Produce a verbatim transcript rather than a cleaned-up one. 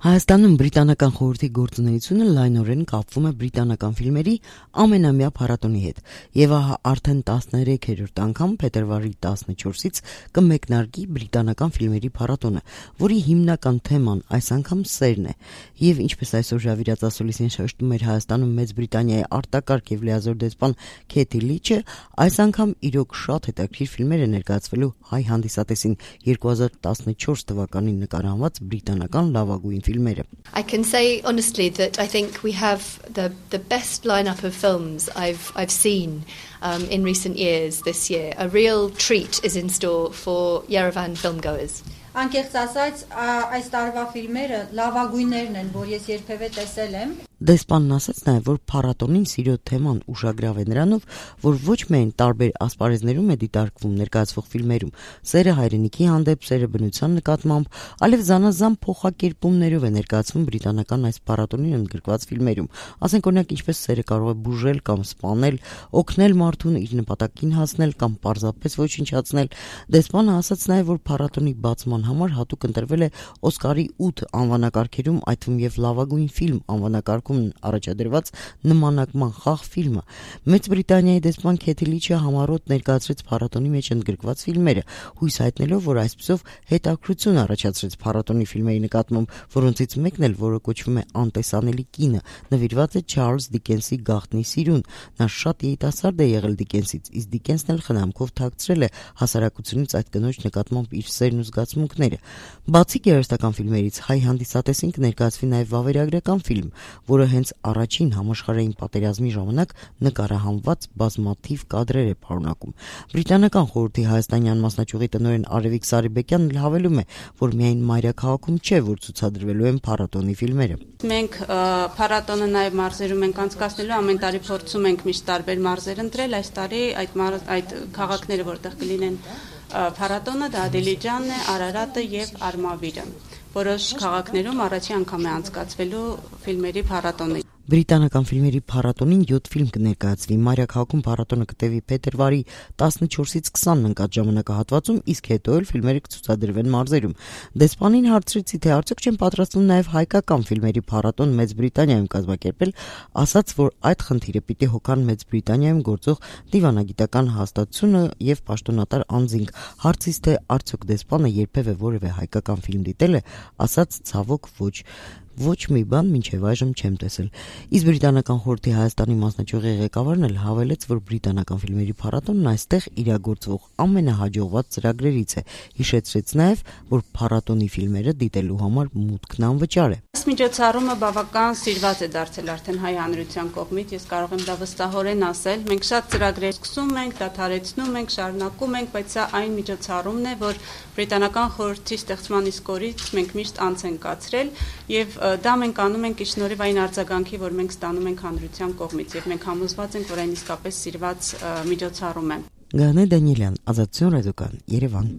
Հայաստանում բրիտանական խորհրդի գործունեությունը լայնորեն կապվում է բրիտանական ֆիլմերի ամենամյա փառատոնի հետ, եւ ահա արդեն տասներեքերորդ անգամ փետրվարի տասնչորսից կմեկնարկի բրիտանական ֆիլմերի փառատոնը, որի հիմնական թեման այս անգամ սերն է, եւ ինչպես այսօր Ժավիրած Ասոլիսին շեշտում էր Հայաստանում Մեծ Բրիտանիայի արտակարգ եւ լիազոր դեսպան Քեթի Լիչը, այս անգամ իրոք շատ հետաքրքիր ֆիլմեր է ներկայացվելու հայ հանդիսատեսին երկու հազար տասնչորս թվականին նկարահանված բրիտանական լավագույն filmere. I can say honestly that I think we have the the best lineup of films I've I've seen um, in recent years this year. A real treat is in store for Yerevan filmgoers. Անկեղծ ասած, այս տարվա ֆիլմերը լավագույններն են, որ ես երբևէ տեսել եմ. Դեսպանն ասաց նաև, որ փառատոնին սիրո թեման ուշագրավ է նրանով, որ ոչ միայն տարբեր ասպարեզներում է դիտարկվում ներկայացվող ֆիլմերում, սերը հայրենիքի հանդեպ, սերը բնության նկատմամբ, այլև զանազան փոխակերպումներով է ներկայացվում բրիտանական այս փառատոնին ընդգրկված ֆիլմերում։ Ասենք օրինակ, ինչպես սերը կարող է բուժել կամ սպանել, օգնել մարդուն իր նպատակին հասնել կամ պարզապես ոչնչացնել։ Դեսպանը ասաց նաև, որ փառատոնի բացման համար հատուկ ընտրվել է Օսկարի ութ անվանակարգերում, այդ թվում եւ լավագույն ֆիլմ անվանակարգում առաջադրված նմանակման խաղ ֆիլմը։ Մեծ Բրիտանիայի դեսպան Քեթի Լիչը համառոտ ներկայացրեց փառատոնի մեջ ընդգրկված ֆիլմերը, հույս հայտնելով, որ այսպիսով հետաքրություն առաջացրեց փառատոնի ֆիլմերի նկատմամբ, որոնցից մեկն էլ, որը կոչվում է Անտեսանելի կինը, նվիրված է Չարլզ Դիկենսի գաղտնի սիրուն։ Նա շատ երիտասարդ է եղել Դիկենսից, իսկ Դիկենսն էլ խնամքով թաքցրել է հասարակությունից այդ կնոջ նկատմամբ իր սերն ու զգացմունքները։ Բացի գեղարվեստական ֆիլմերից, հայ հանդիսատեսին կներկայացվի նաև վավերագրական ֆիլմ, որը հենց առաջին համաշխարհային պատերազմի ժամանակ նկարահանված բազմաթիվ կադրեր է պարունակում։ Բրիտանական խորհրդի հայաստանյան մասնաճյուղի տնօրեն Արևիկ Սարիբեկյանն հավելում է, որ միայն մայրաքաղաքում չէ, որ ցուցադրվելու են փառատոնի ֆիլմերը։ Մենք փառատոնը նաև մարզերում ենք անցկացնելու, ամեն տարի փորձում ենք միշտ տարբեր մարզեր ընտրել, այս տարի այդ այդ քաղաքները, որտեղ կլինեն փառատոնը, դա Դիլիջանն է, Արարատը եւ Արմավիրը։ Որոշ քաղաքներում առաջի անգամ է անցկացվելու ֆիլմերի փառատոնը։ Բրիտանական ֆիլմերի փառատոնին յոթ ֆիլմ կներկայացվի։ Մայրաքաղաքում փառատոնը կտևի փետրվարի տասնչորսից քսանն ընկած ժամանակահատվածում, իսկ հետո էլ ֆիլմերը կցուցադրվեն մարզերում։ Դեսպանին հարցրեցի, թե արդյոք չեն պատրաստվում նաև հայկական ֆիլմերի փառատոն Մեծ Բրիտանիայում կազմակերպել, ասաց, որ այդ խնդիրը պիտի հոգան Մեծ Բրիտանիայում գործող դիվանագիտական հաստատությունը եւ պաշտոնատար անձինք։ Հարցից, թե արդյոք դեսպանը երբևէ որևէ հայկական ֆիլմ դիտել է, ասաց ցավոք ոչ։ Ոչ մի բան մինչև այժմ չեմ տեսել։ Իսկ բրիտանական խորհրդի Հայաստանի մասնաճյուղի ղեկավարն էլ հավելեց, որ բրիտանական ֆիլմերի փառատոնն այստեղ իրագործվող ամենահաջողված ծրագրերից է։ Հիշեցրեց նաև, որ փառատոնի ֆիլմերը դիտելու համար մուտքն անվճար է։ Այս միջոցառումը բավական սիրված է դարձել արդեն հայ հանրության կողմից, ես կարող եմ դա վստահորեն ասել։ Մենք շատ ծրագրեր սկսում ենք, դադարեցնում ենք, շարունակում ենք, բայց սա այն միջոցառումն է, որ բրիտանական խորհրդի ստեղծման իսկ օրից մենք միշտ անց ենք կացրել եւ դա մենք անում ենք ի շնորհիվ այն արձագանքի, որ մենք ստանում ենք հանրության կողմից եւ մենք համոզված ենք, որ այն իսկապես սիրված միջոցառում է։ Գանե Դանիելյան, Ազատություն ռադիոկան, Երևան։